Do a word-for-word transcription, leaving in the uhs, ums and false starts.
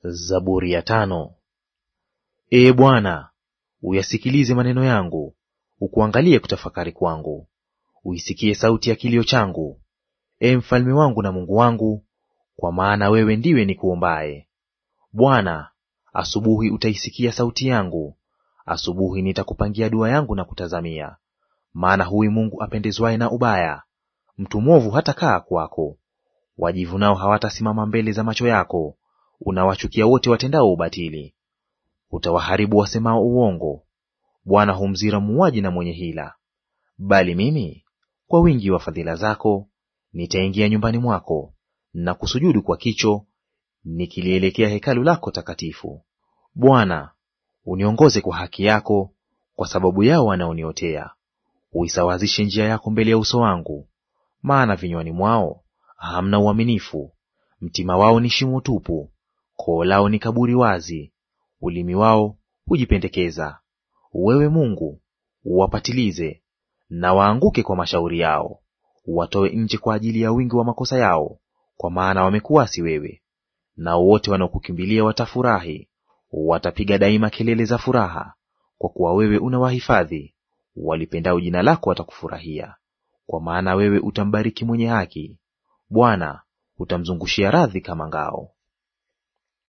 Zaburi ya tano. Ee Bwana, uyasikilize maneno yangu, ukuangalie kutafakari kwangu. Uisikie sauti ya kilio changu, ee mfalme wangu na Mungu wangu, kwa maana wewe ndiwe nikuombaye. Bwana, asubuhi utaisikia sauti yangu, asubuhi nitakupangia dua yangu na kutazamia. Maana huyu Mungu apendezwaye na ubaya, mtu mwovu hatakaa kwako. Wajivunao hawatasimama mbele za macho yako, unawachukia wote watendao ubatili. Utawaharibu wasemao uongo. Bwana humzira muuaji na mwenye hila. Bali mimi, kwa wingi wa fadhila zako, nitaingia nyumbani mwako, na kusujudu kwa kicho, nikilielekea hekalu lako takatifu. Bwana, uniongoze kwa haki yako, kwa sababu yao wanaoniotea. Uisawazishe njia yako mbele ya uso wangu, maana vinywani mwao hamna uaminifu. Mtima wao ni shimo tupu, koo lao ni kaburi wazi, ulimi wao hujipendekeza. Wewe Mungu, uwapatilize, na waanguke kwa mashauri yao. Uwatoe nje kwa ajili ya wingi wa makosa yao, kwa maana wamekuasi wewe. Na wote wanaokukimbilia watafurahi, watapiga daima kelele za furaha, kwa kuwa wewe unawahifadhi. Walipendao jina lako watakufurahia, kwa maana wewe utambariki mwenye haki. Bwana, utamzungushia radhi kama ngao.